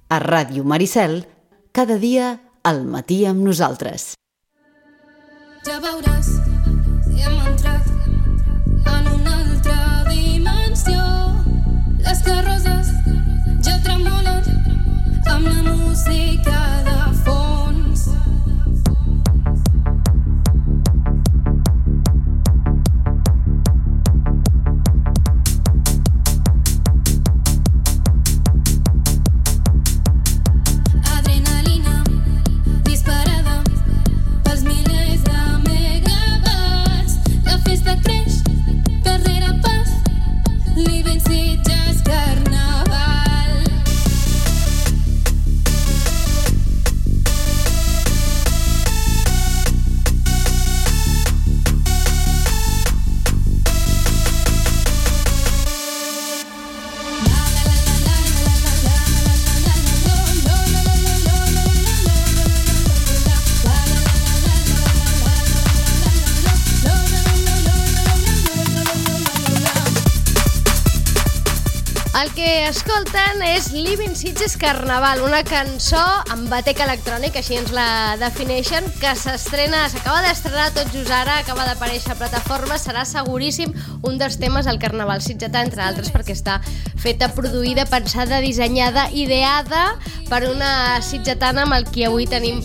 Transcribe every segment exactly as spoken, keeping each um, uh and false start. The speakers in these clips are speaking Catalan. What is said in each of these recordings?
A Ràdio Maricel, cada dia al matí amb nosaltres. Ja veuràs, hem entrat en una altra dimensió. Les carrosses ja tremolen amb la música de fons. Adrenalina disparada pels milers de megawatts. La festa creix, carrera pas, Living Sitges Carnaval. El que escolten és Living Sitges Carnaval, una cançó amb batec electrònic, així ens la defineixen, que s'estrena, s'acaba d'estrenar tot just ara, acaba d'aparèixer a plataformes, serà seguríssim un dels temes del Carnaval sitgetà, entre altres perquè està feta, produïda, pensada, dissenyada, ideada per una sitgetana amb el qui avui tenim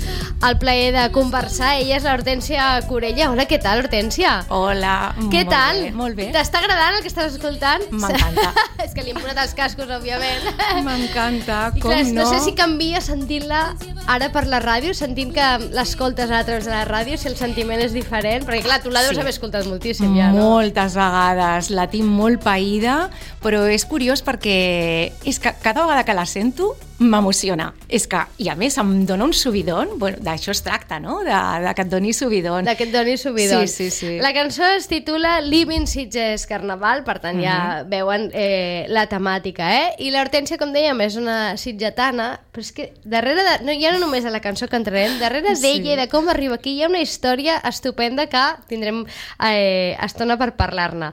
el plaer de conversar. Ella és l'Hortènsia Corella. Hola, què tal, Hortènsia? Hola, què molt tal? bé, molt bé. T'està agradant el que estàs escoltant? M'encanta. És que li hem posat els cascos, òbviament. M'encanta, I com clar, no? No sé si canvia sentint-la ara per la ràdio, sentint que l'escoltes a través de la ràdio, si el sentiment és diferent, perquè clar, tu la deus Sí. haver escoltat moltíssim ja, no? Moltes vegades, la tinc molt païda, però és curiós perquè és que cada vegada que la sento m'emociona. És que, i a més, em dona un subidon, bueno, d'això es tracta, no? De, de que et doni subidon. De que et doni subidon. Sí, sí, sí. La cançó es titula Living Sitges Carnaval, per tant ja Mhm. veuen eh, la temàtica, eh? I l'Hortènsia, com dèiem, és una sitgetana, però és que darrere de... No, ja no només de la cançó que entrarem, darrere Sí. d'ella i de com arriba aquí hi ha una història estupenda que tindrem eh, estona per parlar-ne.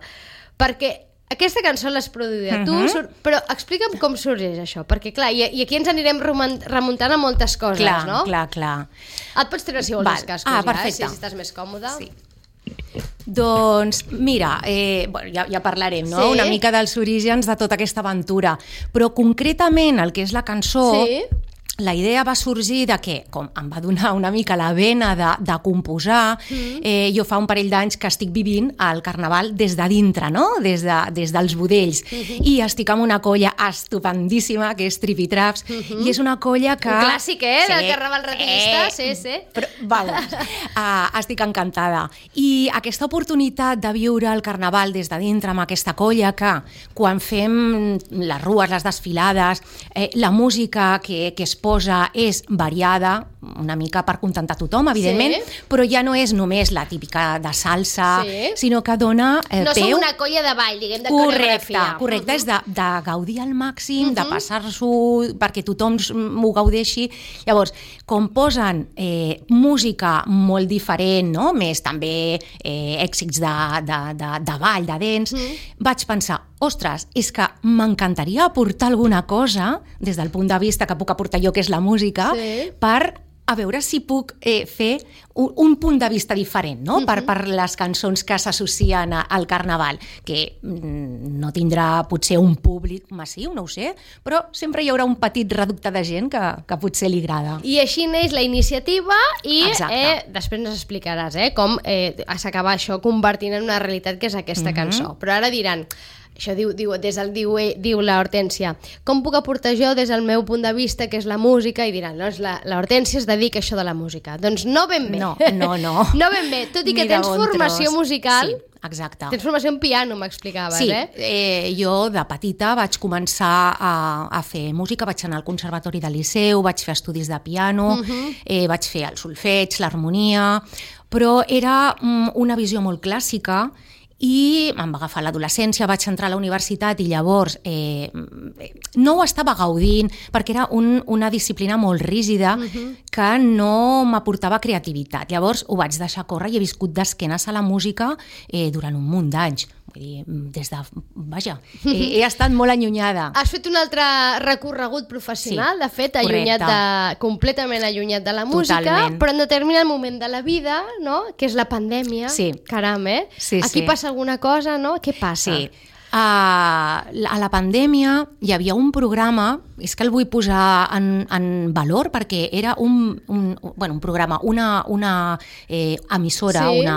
Perquè aquesta cançó l'has produïda tu, Mhm. sur- però explica'm com sorgeix això, perquè clar, i, i aquí ens anirem remun- remuntant a moltes coses, Clar, no? clar, clar. Et pots treure, si vols, Val. els cascos Ah, ja, eh, perfecte. si estàs més còmode. Sí. Doncs mira, eh, bueno, ja, ja parlarem, no? Sí. Una mica dels orígens de tota aquesta aventura, però concretament el que és la cançó, Sí. la idea va sorgir de que, com em va donar una mica la vena de, de composar, mm. eh, jo fa un parell d'anys que estic vivint el Carnaval des de dintre, no? Des, de, des dels budells, mm-hmm. i estic amb una colla estupendíssima que és Tripitraps, mm-hmm. i és una colla que... Un clàssic, eh? Sí. Del Carnaval Rapidista, sí, sí. Però, vamos, uh, estic encantada. I aquesta oportunitat de viure el Carnaval des de dintre amb aquesta colla que quan fem les rues, les desfilades, eh, la música que, que es posa és variada, una mica per contentar tothom, evidentment, Sí. però ja no és només la típica de salsa, Sí. sinó que dona eh, No peu... som una colla de ball, diguem, de Correcte, coreografia. correcte, és de, de gaudir al màxim, de passar-s'ho perquè tothom m'ho gaudeixi. Llavors, com posen eh, música molt diferent, no? Més també eh, èxits de, de, de, de ball, de dents, vaig pensar, ostres, és que m'encantaria aportar alguna cosa des del punt de vista que puc aportar jo, que és la música, Sí. per a veure si puc eh, fer un, un punt de vista diferent, no? Uh -huh. per, per les cançons que s'associen a- al Carnaval, que mm, no tindrà potser un públic massiu, no ho sé, però sempre hi haurà un petit reducte de gent que, que potser li agrada. I així neix la iniciativa i Exacte. eh, després ens explicaràs eh, com eh, s'acaba això convertint en una realitat que és aquesta cançó. Però ara diran, això diu, diu, des del, diu, diu la Hortènsia, com puc aportar jo des del meu punt de vista, que és la música, i diran, doncs la, la Hortènsia es dedica a això de la música. Doncs no ben bé. No, no, no. No ben bé, tot i que Ni de tens bon formació tros. musical, Sí, exacte. tens formació en piano, m'explicaves, Sí, eh? eh, jo de petita vaig començar a, a fer música, vaig anar al Conservatori del Liceu, vaig fer estudis de piano, uh-huh. eh, vaig fer el solfeig, l'harmonia, però era mm, una visió molt clàssica i em va agafar l'adolescència, vaig entrar a la universitat i llavors eh, no ho estava gaudint perquè era un, una disciplina molt rígida uh-huh. que no m'aportava creativitat. Llavors ho vaig deixar córrer i he viscut d'esquenes a la música eh, durant un munt d'anys. vull dir, des de... Vaja, he, he estat molt allunyada. Has fet un altre recorregut professional, Sí, de fet, allunyat correcte. de, completament allunyat de la música, Totalment. però en determinat moment de la vida, no?, que és la pandèmia, Sí. caram, eh? Sí, Aquí sí. passa alguna cosa, no? Què passa? Sí. Uh, a la pandèmia hi havia un programa, és que el vull posar en, en valor perquè era un, un, bueno, un programa, una, una eh, emissora, Sí. una,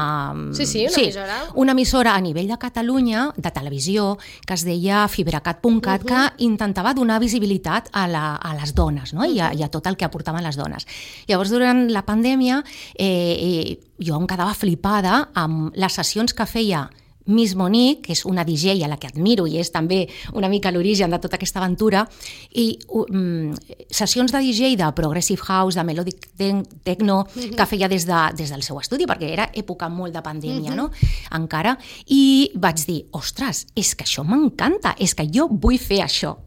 Sí, sí, una emissora. una emissora a nivell de Catalunya, de televisió, que es deia fibracat punt cat, uh -huh. que intentava donar visibilitat a, la, a les dones, no? I, a, i a tot el que aportaven les dones. Llavors, durant la pandèmia, eh, eh, jo em quedava flipada amb les sessions que feia Miss Monique, que és una D J a la que admiro i és també una mica l'origen de tota aquesta aventura, i um, sessions de D J de Progressive House, de Melodic Techno, uh-huh. que feia des, de, des del seu estudi, perquè era època molt de pandèmia, uh-huh. no? Encara, i vaig dir, ostres, és que això m'encanta, és que jo vull fer això.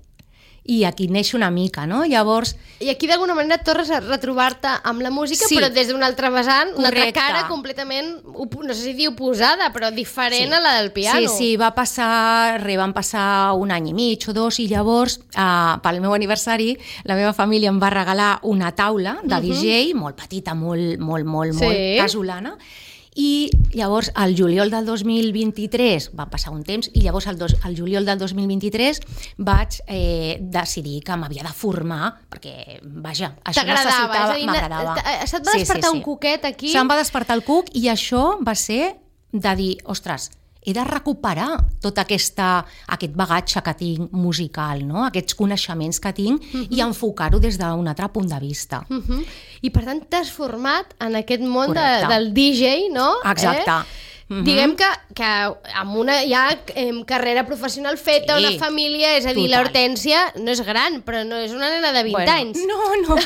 I aquí neix una mica, no? Llavors... I aquí d'alguna manera tornes a retrobar-te amb la música, Sí. però des d'un altre vessant, una altra Correcte. cara completament, op- no sé si dir oposada, però diferent Sí. a la del piano. Sí, sí, va passar, re, van passar un any i mig o dos i llavors, eh, pel meu aniversari, la meva família em va regalar una taula de D J, molt petita, molt, molt, molt, Sí. molt casolana, i llavors al juliol del dos mil vint-i-tres va passar un temps i llavors al, dos, al juliol del dos mil vint-i-tres vaig eh, decidir que m'havia de formar perquè, vaja, això T'agradava, és a necessitava, dir, m'agradava. t- se't va despertar un cuquet aquí? Se'm va despertar el cuc i això va ser de dir, ostres, he de recuperar tot aquesta, aquest bagatge que tinc musical, no? Aquests coneixements que tinc uh-huh. i enfocar-ho des d'un altre punt de vista. Uh -huh. I per tant t'has format en aquest món de, Correcte. del D J, no? Exacte. Eh? Mhm. Diguem que, que amb una ja eh, carrera professional feta, Sí. una família, és a dir, Total. l'Hortènsia no és gran, però no és una nena de vint Bueno, anys. No, no,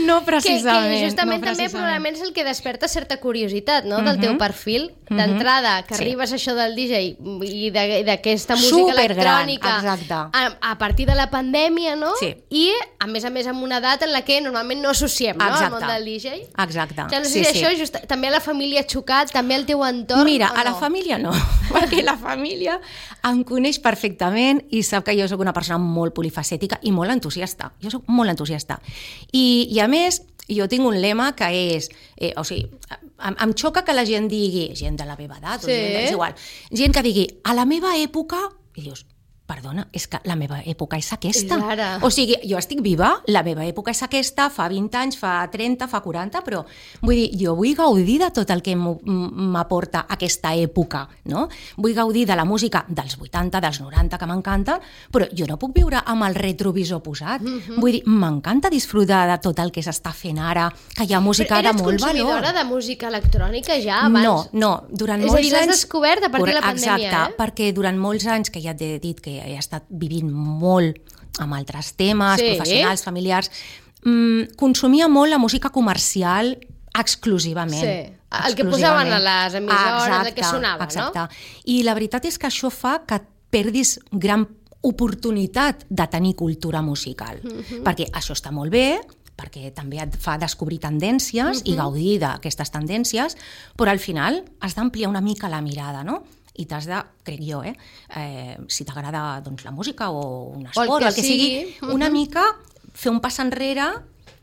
no Que, precisament. que justament no també precisament. probablement és el que desperta certa curiositat, no?, del Mhm. teu perfil. D'entrada, que Sí. arribes a això del D J i de- d'aquesta música Supergran, electrònica exacte. a, a partir de la pandèmia, no? Sí. I, a més a més, amb una edat en la que normalment no associem, no?, al Exacte. món del D J. Exacte. Ja no sé Sí, si sí. això just, també a la família ha xocat, també al teu entorn, Mira, o a la no? família no, perquè la família em coneix perfectament i sap que jo sóc una persona molt polifacètica i molt entusiasta. Jo sóc molt entusiasta. I, i a més, jo tinc un lema que és, eh, o sigui, em, em xoca que la gent digui, gent de la meva edat, Sí. o gent, és igual, gent que digui, a la meva època, i dius, perdona, és que la meva època és aquesta. És ara. O sigui, jo estic viva, la meva època és aquesta, fa vint anys, fa trenta, fa quaranta, però vull dir, jo vull gaudir de tot el que m'ho- m'aporta aquesta època, no? Vull gaudir de la música dels vuitanta, dels noranta, que m'encanta, però jo no puc viure amb el retrovisor posat. Mhm. Vull dir, m'encanta disfrutar de tot el que s'està fent ara, que hi ha música Però de eres molt valor. consumidora de música electrònica ja abans? No, no, durant És a molts dir, l'has anys... descobert a partir de la pandèmia, Exacte, eh? perquè durant molts anys, que ja t'he dit que he estat vivint molt amb altres temes, Sí. professionals, familiars, mmm, consumia molt la música comercial exclusivament. Sí, el que Exclusivament. posaven a les emissores, el que Exacte, sonava, no? exacte. I la veritat és que això fa que perdis gran oportunitat de tenir cultura musical, Mhm. perquè això està molt bé, perquè també et fa descobrir tendències i gaudir d'aquestes tendències, però al final has d'ampliar una mica la mirada, no? I t'has de, crec jo, eh, eh si t'agrada doncs, la música o un esport, O el que el que sigui, sigui. una mica fer un pas enrere,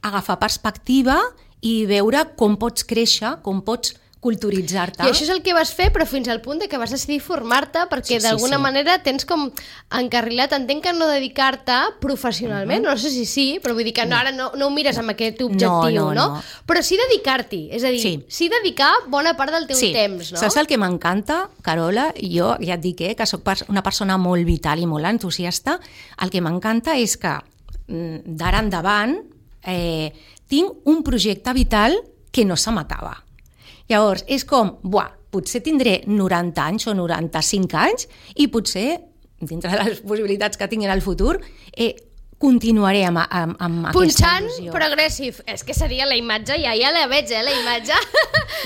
agafar perspectiva i veure com pots créixer, com pots culturitzar-te. I això és el que vas fer, però fins al punt de que vas decidir formar-te, perquè Sí, sí, d'alguna sí. manera tens com encarrilat, entenc que no dedicar-te professionalment, Mhm. no sé si sí, però vull dir que no, ara no, no ho mires amb aquest objectiu, No, no, no. Però sí dedicar-t'hi, és a dir, sí. Sí. dedicar bona part del teu Sí. temps, no? Saps el que m'encanta, Carola? Jo ja et dic eh, que sóc una persona molt vital i molt entusiasta. El que m'encanta és que mm, d'ara endavant eh, tinc un projecte vital que no se m'acaba. Llavors, és com, buah, potser tindré noranta anys o noranta-cinc anys i potser, dintre de les possibilitats que tinc en el futur, eh, continuaré amb, amb, amb aquesta punxant il·lusió. progressive. És que seria la imatge, ja ja la veig, eh, la imatge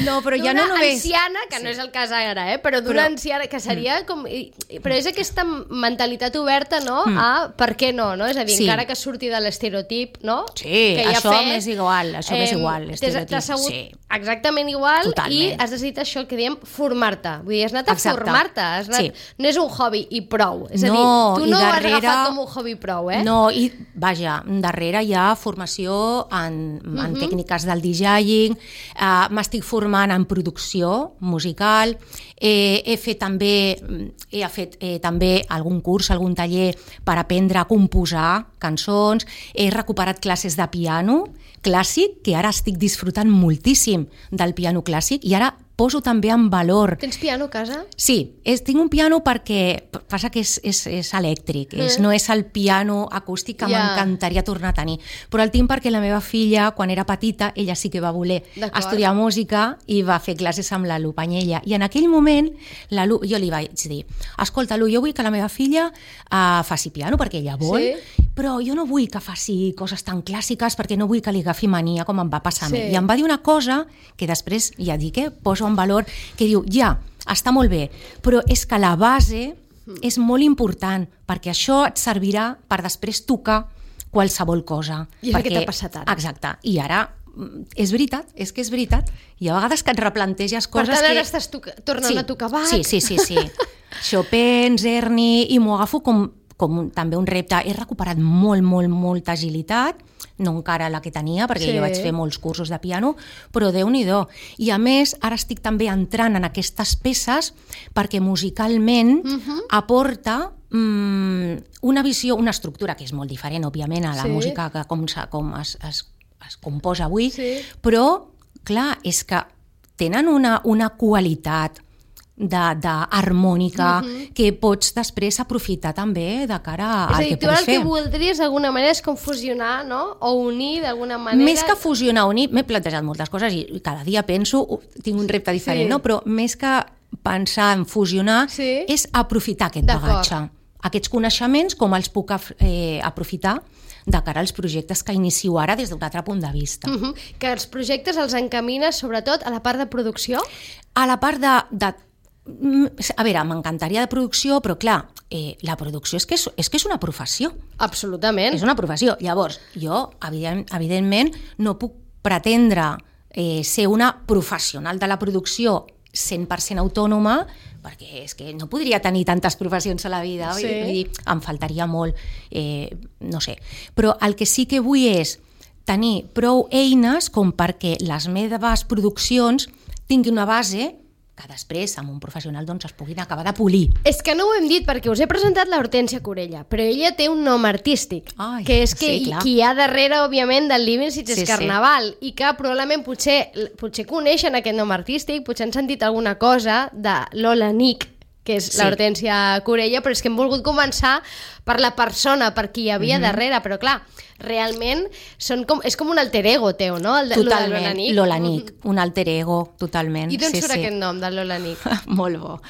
No, però ja no d'una només... anciana, que Sí. no és el cas ara, eh, però d'una Però- anciana, que seria com... i- Però és aquesta mentalitat oberta, no?, Mm. a per què no, no? És a dir, Sí. encara que surti de l'estereotip, no? Sí, que ja això fet, m'és igual, això m'és igual, t'has- l'estereotip, T'has sabut sí. exactament igual Totalment. i has decidit això que diem formar-te. Vull dir, has anat a Exacte. formar-te. Has anat... Sí. No és un hobby i prou. És a No, dir, tu i no ho has darrere- agafat com un hobby prou, eh? No, i vaja, darrere hi ha formació en, en tècniques del DJing, uh, m'estic formant en producció musical, eh, he fet també, he fet eh, també algun curs, algun taller per aprendre a composar cançons, he recuperat classes de piano clàssic, que ara estic disfrutant moltíssim del piano clàssic i ara poso també en valor. Tens piano a casa? Sí, és, tinc un piano perquè passa que és, és, és elèctric, és, no és el piano acústic que Ja. m'encantaria tornar a tenir, però el tinc perquè la meva filla, quan era petita, ella sí que va voler D'acord. estudiar música i va fer classes amb la Lu Panyella, i en aquell moment la Lu, jo li vaig dir, escolta Lu, jo vull que la meva filla uh, faci piano perquè ella vol, Sí. però jo no vull que faci coses tan clàssiques perquè no vull que li agafi mania com em va passar a mi. Sí. I em va dir una cosa que després, ja dic, eh, poso en valor, que diu, ja, està molt bé, però és que la base és molt important, perquè això et servirà per després tocar qualsevol cosa. I és el que perquè... t'ha passat ara. Exacte, i ara mm, és veritat, és que és veritat. Hi ha vegades que et replanteges Per coses tant, ara que... estàs toca- tornant sí, a tocar Bach. Sí, sí, sí, sí. Chopin, Czerny, i m'ho agafo com, com un, també un repte. He recuperat molt, molt, molta agilitat, no encara la que tenia, perquè Sí. jo vaig fer molts cursos de piano, però Déu-n'hi-do. I a més, ara estic també entrant en aquestes peces perquè musicalment Mhm. aporta mm, una visió, una estructura que és molt diferent, òbviament, a la Sí. música que com, se- com es, es, es composa avui, Sí. però, clar, és que tenen una, una qualitat de, de harmònica uh-huh. que pots després aprofitar també de cara És a al dir, que tu ara pots el que fer. voldries d'alguna manera és com fusionar, no? O unir d'alguna manera... Més que fusionar, unir, m'he plantejat moltes coses i cada dia penso, uh, tinc un repte diferent, Sí. no? Però més que pensar en fusionar Sí. és aprofitar aquest D'acord. bagatge. Aquests coneixements, com els puc af- eh, aprofitar de cara als projectes que inicio ara des d'un altre punt de vista. Mhm. Que els projectes els encamines sobretot a la part de producció? A la part de... de a veure, m'encantaria de producció, però clar, eh, la producció és que és, és que és una professió. Absolutament. És una professió. Llavors, jo, evident, evidentment, no puc pretendre eh, ser una professional de la producció cent per cent autònoma, perquè és que no podria tenir tantes professions a la vida, Sí. vull dir, em faltaria molt, eh, no sé. Però el que sí que vull és tenir prou eines com perquè les meves produccions tinguin una base que després amb un professional doncs, es puguin acabar de polir. És que no ho hem dit perquè us he presentat la Hortènsia Corella, però ella té un nom artístic, Ai, que és que sí, clar. qui hi ha darrere, òbviament, del Living Sitges Sí, sí. Carnaval, i que probablement potser, potser coneixen aquest nom artístic, potser han sentit alguna cosa de Lola Nick, que és Sí. la Hortènsia Corella, però és que hem volgut començar per la persona, per qui hi havia Mhm. darrere, però clar, realment són com, és com un alter ego teu, no? El de, lo de Lola Totalment, Nick. Lola Nick, un alter ego, totalment. I d'on sí, surt sí. aquest nom, de Lola Nick? Molt bo.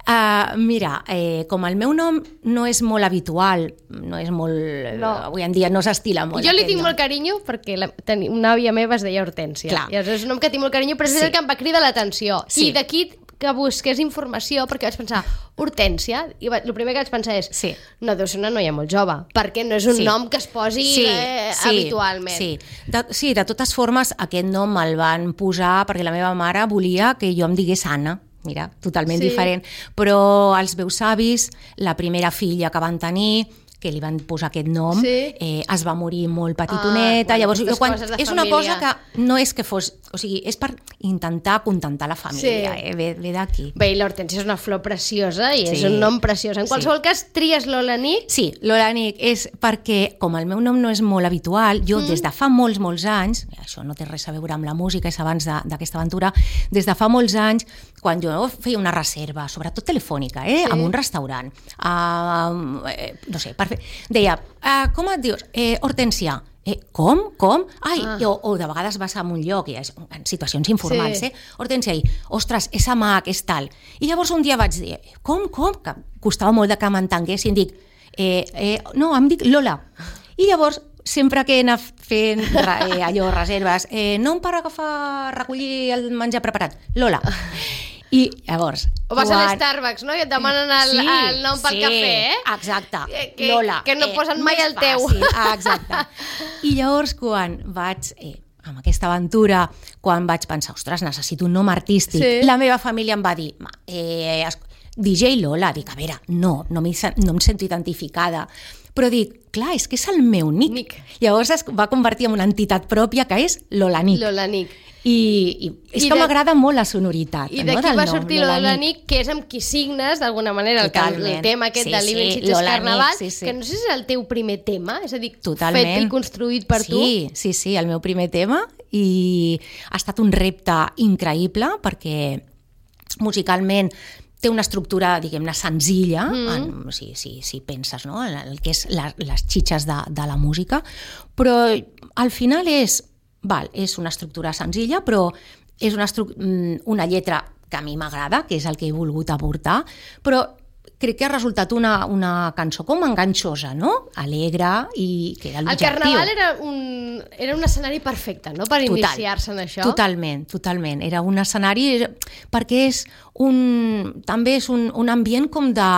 Uh, mira, eh, com el meu nom no és molt habitual, no és molt... No. Uh, avui en dia no s'estila molt. Jo li aquest tinc nom. molt carinyo perquè la, teni, una àvia meva es deia Hortènsia. Clar. I és un nom que tinc molt carinyo, però és Sí. el que em va cridar l'atenció. Sí. I d'aquí que busqués informació, perquè vaig pensar Hortènsia, i va, el primer que vaig pensar és Sí. no, deu ser una noia molt jove, perquè no és un Sí. nom que es posi eh, habitualment. Sí. De, sí, de totes formes, aquest nom me'l van posar perquè la meva mare volia que jo em digués Anna. Mira, totalment Sí. diferent. Però els meus avis, la primera filla que van tenir, que li van posar aquest nom, Sí. eh, es va morir molt petitoneta. Ah, bueno, Llavors, aquestes jo, quan, coses de és una família. cosa que no és que fos... O sigui, és per intentar contentar la família, Sí. eh? ve, ve d'aquí. Bé, i l'Hortènsia és una flor preciosa i és Sí. un nom preciós. En Sí. qualsevol cas, tries Lola Nick. Sí, Lola Nick és perquè, com el meu nom no és molt habitual, jo mm. des de fa molts, molts anys, això no té res a veure amb la música, és abans de- d'aquesta aventura, des de fa molts anys, quan jo feia una reserva, sobretot telefònica, eh, Sí. en un restaurant, uh, eh, no sé, per fer, deia, uh, com et dius? Eh, Hortènsia. Eh, com? Com? Ai, Ah. o, o de vegades vas a un lloc i és, en situacions informals, Sí. eh? Hortènsia, i, ostres, és amac, és tal. I llavors un dia vaig dir, com, com? Que costava molt de que m'entenguessin, dic, eh, eh, no, em dic Lola. I llavors, sempre que he anat fent eh, allò, reserves, eh, no em para agafar, recollir el menjar preparat. Lola. I llavors... O vas quan... a l'Starbucks, no? I et demanen el, sí, el nom pel sí, cafè, eh? Exacte. Que, Lola. que no posen mai més el teu. Fàcil. Exacte. I llavors, quan vaig... Eh, amb aquesta aventura, quan vaig pensar, ostres, necessito un nom artístic, Sí. la meva família em va dir, eh, D J Lola. Dic, a veure, no, no, no em sento identificada. Però dic, clar, és que és el meu nick. Nick. Llavors es va convertir en una entitat pròpia que és Lola Nick. Lola Nick. I, i és I que de- m'agrada molt la sonoritat. I no, d'aquí del va nom, sortir Lola Nick, que és amb qui signes, d'alguna manera, el, que- el Totalment. tema aquest Sí, de Living sí, Sitges Lola Carnaval, Nick, sí, sí. que no sé si és el teu primer tema, és a dir, Totalment. fet i construït per sí, tu. Sí, sí, sí, el meu primer tema, i ha estat un repte increïble perquè musicalment té una estructura, diguem-ne, senzilla, mm. en, si, si, si penses, no?, en el que és la, les xitxes de, de la música, però al final és, val, és una estructura senzilla, però és una, estru una lletra que a mi m'agrada, que és el que he volgut aportar, però crec que ha resultat una, una cançó com enganxosa, no? Alegre, i que era El l'objectiu. Carnaval era un, era un escenari perfecte, no?, per Total, iniciar-se en això. Totalment, totalment. Era un escenari, perquè és un, també és un, un ambient com de...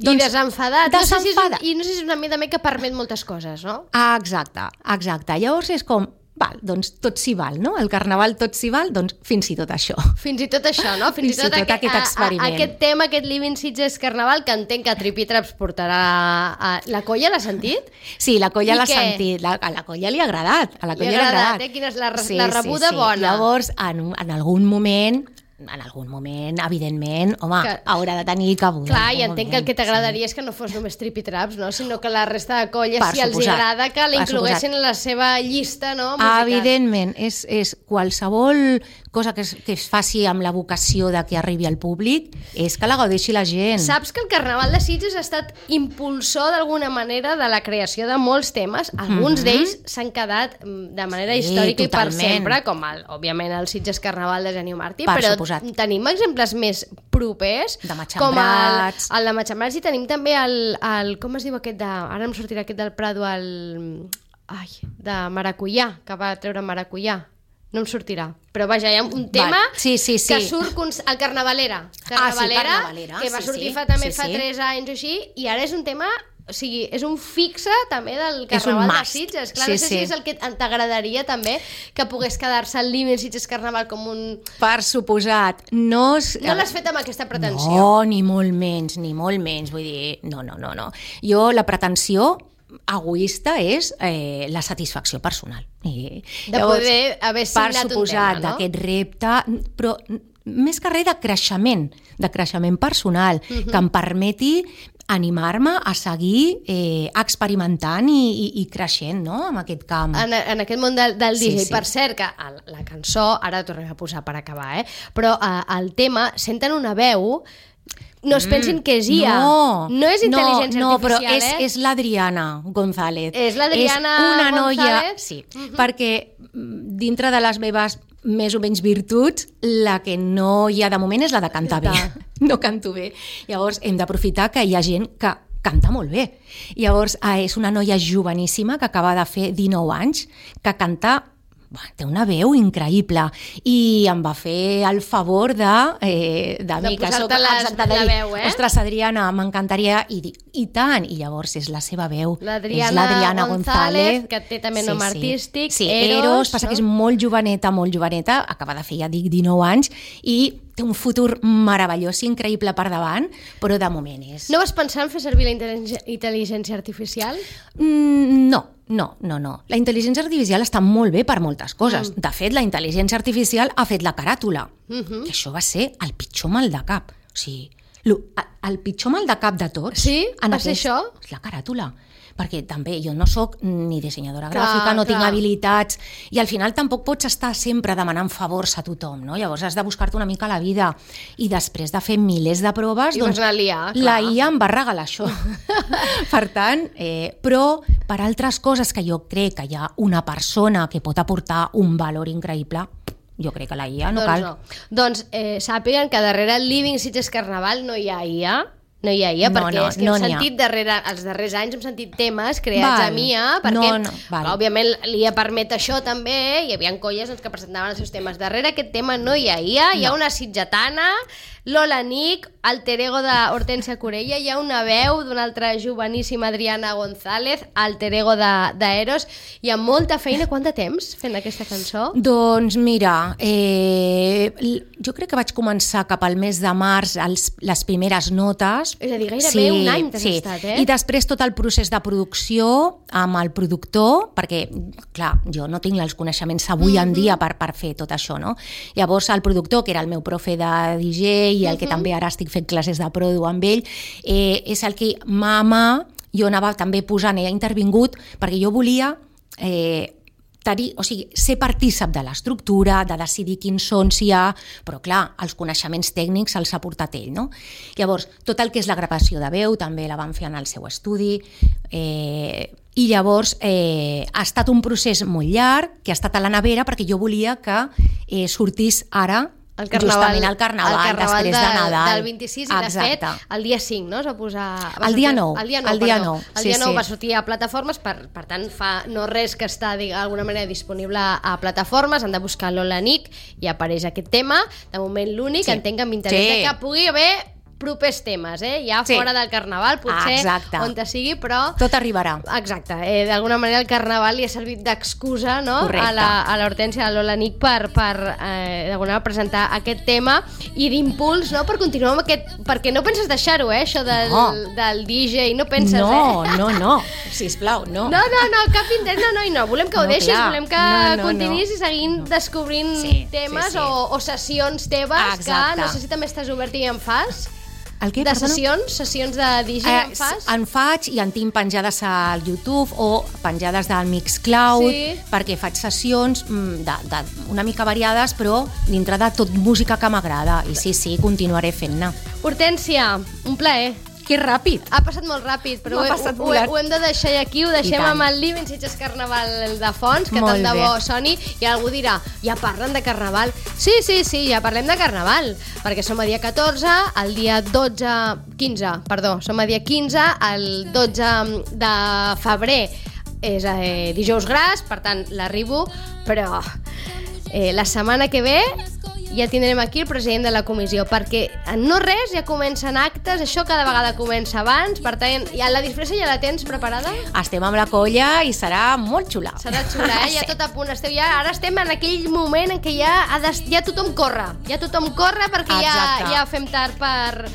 I desenfadat. Desenfadat. No sé si és, I no sé si és una mida també que permet moltes coses, no? Ah, exacte, exacte. Llavors és com, val, doncs tot s'hi val, no? El Carnaval tot s'hi val, doncs fins i tot això. Fins i tot això, no? Fins, Fins i tot aqu- aquest a- a- experiment. Aquest tema, aquest Living Sitges Carnaval, que entenc que Trippy Traps portarà... A... La colla l'ha sentit? Sí, la colla I l'ha què? sentit, la, a la colla li ha agradat, a la Li ha colla li ha agradat, agradat. eh? Quina és la re- la rebuda bona. Llavors, en, un- en algun moment, en algun moment, evidentment, home, Que- haurà de tenir cabuda. Clar, en i algun entenc que el moment, que t'agradaria és que no fos només Trippy Traps, no? Sinó que la resta de colles, Per si els suposat, agrada, que per l'incloguessin en la seva llista, no? musical. Evidentment, és, és qualsevol cosa que es, que es faci amb la vocació de que arribi al públic, és que la gaudeixi la gent. Saps que el Carnaval de Sitges ha estat impulsor d'alguna manera de la creació de molts temes. Alguns Mhm. d'ells s'han quedat mm, de manera Sí, històrica i per totalment. sempre, com el, òbviament el Sitges Carnaval de Genio Martí, Per però suposat. tenim exemples més propers, De com el, Matxembrats. el de Matxembrats, i tenim també el, el com es diu aquest de... Ara em sortirà aquest del Prado, el... Ai, de Maracuyà, que va treure Maracuyà. No em sortirà. Però vaja, hi ha un tema Val. Sí, sí, sí. que surt... Cons... El Carnavalera. Ah, sí, Carnavalera, Carnavalera, que va sí, sortir sí. fa també Sí, fa sí. tres anys o així, i ara és un tema... O sigui, és un fixe també del És un Carnaval de must. Sitges. Clar, Sí, no sé sí. si és el que t'agradaria també, que pogués quedar-se el Living Sitges Carnaval com un... Per suposat. No, és- No l'has fet amb aquesta pretensió. No, ni molt menys, ni molt menys. Vull dir, no, no, no. no. Jo, la pretensió egoista és eh, la satisfacció personal. I, De poder haver signat un per suposat, tema, no? d'aquest repte, però més que res de creixement, de creixement personal, uh -huh. que em permeti animar-me a seguir eh, experimentant i, i, i creixent, no?, en aquest camp. En, en aquest món del, del Sí, D J. sí. Per cert, que el, la cançó, ara ho tornem a posar per acabar, eh? però eh, el tema, senten una veu, no es pensin que és I A. No, no és intel·ligència no, no, però artificial, és, eh? és l'Adriana González. És l'Adriana És una noia, González? sí, Mhm. perquè mm, dintre de les meves més o menys virtuts, la que no hi ha de moment és la de cantar bé. No canto bé. Llavors hem d'aprofitar que hi ha gent que canta molt bé. Llavors eh, és una noia joveníssima que acaba de fer dinou anys, que canta... Bah, té una veu increïble i em va fer el favor de, eh, de, De mi, que posar-te soc les- exacte, de la dir, veu, eh? ostres, Adriana, m'encantaria, i dic, i tant, i llavors és la seva veu, L'Adriana és l'Adriana González, González, que té també nom artístic, sí, Eros, Eros, passa no? que és molt joveneta, molt joveneta, acaba de fer, ja dic, dinou anys, i té un futur meravellós i increïble per davant, però de moment és... No vas pensar en fer servir la intel·ligència, intel·ligència artificial? Mm, no, no, no, no. La intel·ligència artificial està molt bé per moltes coses. Mm. De fet, la intel·ligència artificial ha fet la caràtula. Uh -huh. Que això va ser el pitjor mal de cap. O sigui, lo- el pitjor mal de cap de tots... Sí? en Va ser aquest- això? És la caràtula. Perquè també jo no sóc ni dissenyadora Clar, gràfica, no tinc clar. habilitats, i al final tampoc pots estar sempre demanant favors a tothom, no? Llavors has de buscar-te una mica la vida, i després de fer milers de proves, I doncs, vas anar a liar, clar. la I A em va regalar això. Per tant, eh, però per altres coses que jo crec que hi ha una persona que pot aportar un valor increïble, jo crec que la I A no doncs cal. no. Doncs eh, sàpiguen que darrere el Living Sitges Carnaval no hi ha I A, No hi ha I A, No, perquè no, és que no hem n'hi ha. sentit darrere, els darrers anys hem sentit temes creats Val. amb I A, perquè No, no, val. òbviament l'I A permet això també, hi havia colles doncs, que presentaven els seus temes. Darrere aquest tema no hi ha I A, hi ha No. una sitgetana, Lola Nick, alter ego d'Hortència Corella, hi ha una veu d'una altra joveníssima Adriana González, alter ego d'Eros. Hi ha molta feina. Quant de temps fent aquesta cançó? Doncs mira, eh, jo crec que vaig començar cap al mes de març els, les primeres notes. És a dir, gairebé un any t'has sí. estat, eh? I després tot el procés de producció amb el productor, perquè, clar, jo no tinc els coneixements avui Mm-hmm. en dia per, per fer tot això, no? Llavors el productor, que era el meu profe de D J i el que també ara estic fent classes de produ amb ell, eh, és el que mà a mà jo anava també posant, he intervingut, perquè jo volia eh, tenir, o sigui, ser partícip de l'estructura, de decidir quins sons hi ha, però clar, els coneixements tècnics els ha portat ell, no? Llavors, tot el que és la gravació de veu també la van fer en el seu estudi, eh, i llavors eh, ha estat un procés molt llarg, que ha estat a la nevera, perquè jo volia que eh, sortís ara El carnaval, justament al carnaval, el carnaval després de, de Nadal. del vint-i-sis, i de fet el dia cinc, no? Es va posar... Va El dia sortir- nou, El dia nou, el dia perdó. nou, El sí, dia nou sí. va sortir a plataformes, per, per tant fa no res que està d'alguna manera disponible a plataformes, han de buscar Lola Nick i apareix aquest tema, de moment l'únic, Sí. entenc amb interès Sí. de que pugui haver propers temes, eh? Ja Sí. fora del carnaval, potser Exacte. on te sigui, però... Tot arribarà. Exacte, eh, d'alguna manera el carnaval li ha servit d'excusa, no? Correcte. a la, a l'Hortència, a la Lola Nick per, per eh, d'alguna manera presentar aquest tema i d'impuls, no? Per continuar amb aquest... Perquè no penses deixar-ho, eh? Això del, No. del D J, no penses, No, eh? no, no, sisplau, no. No, no, no, cap intent, no, no, i no, volem que ho No, deixis, clar. volem que No, no, continuïs no. i seguint descobrint Sí, temes sí, sí. O, o sessions teves, Exacte. que no sé si també estàs obert i en fas, El què, de perdona? sessions, sessions de D J en fas. en faig i en tinc penjades al YouTube o penjades del Mixcloud, Sí. perquè faig sessions mm, de, de, una mica variades, però dintre de tot música que m'agrada. I sí, sí, continuaré fent-ne. Hortència, un plaer. Que ràpid! Ha passat molt ràpid, però ho, M'ha he- passat ho, volant. ho hem de deixar aquí, ho deixem tant. amb el Living Sitges Carnaval de fons, que Molt tant de bé. bo soni, i algú dirà, ja parlen de Carnaval? Sí, sí, sí, ja parlem de Carnaval, perquè som a dia catorze, el dia dotze, quinze, perdó, som a dia quinze, el dotze de febrer és eh, dijous gras, per tant l'arribo, però eh, la setmana que ve ja tindrem aquí el president de la comissió, perquè en no res ja comencen actes, això cada vegada comença abans, per tant, ja la disfressa ja la tens preparada? Estem amb la colla i serà molt xula. Serà xula, eh? Ja tot a punt. Esteu ja, ara estem en aquell moment en què ja, ha de, ja tothom corre, ja tothom corre perquè ja, Exacte. ja fem tard per,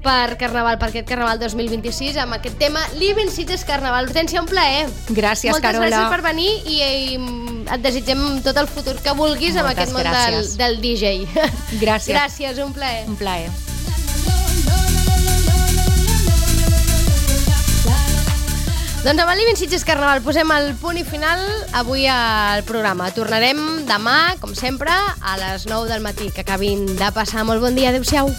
per Carnaval, per aquest Carnaval dos mil vint-i-sis, amb aquest tema Living Sitges Carnaval. Hortència, un plaer. Gràcies, Moltes Carola. gràcies per venir i, i et desitgem tot el futur que vulguis amb Moltes aquest món del, gràcies. del D J. Gràcies. Gràcies, un plaer. Un plaer. Doncs amb el Living Sitges Carnaval posem el punt i final avui al programa. Tornarem demà, com sempre, a les nou del matí. Que acabin de passar molt bon dia. Adéu-siau.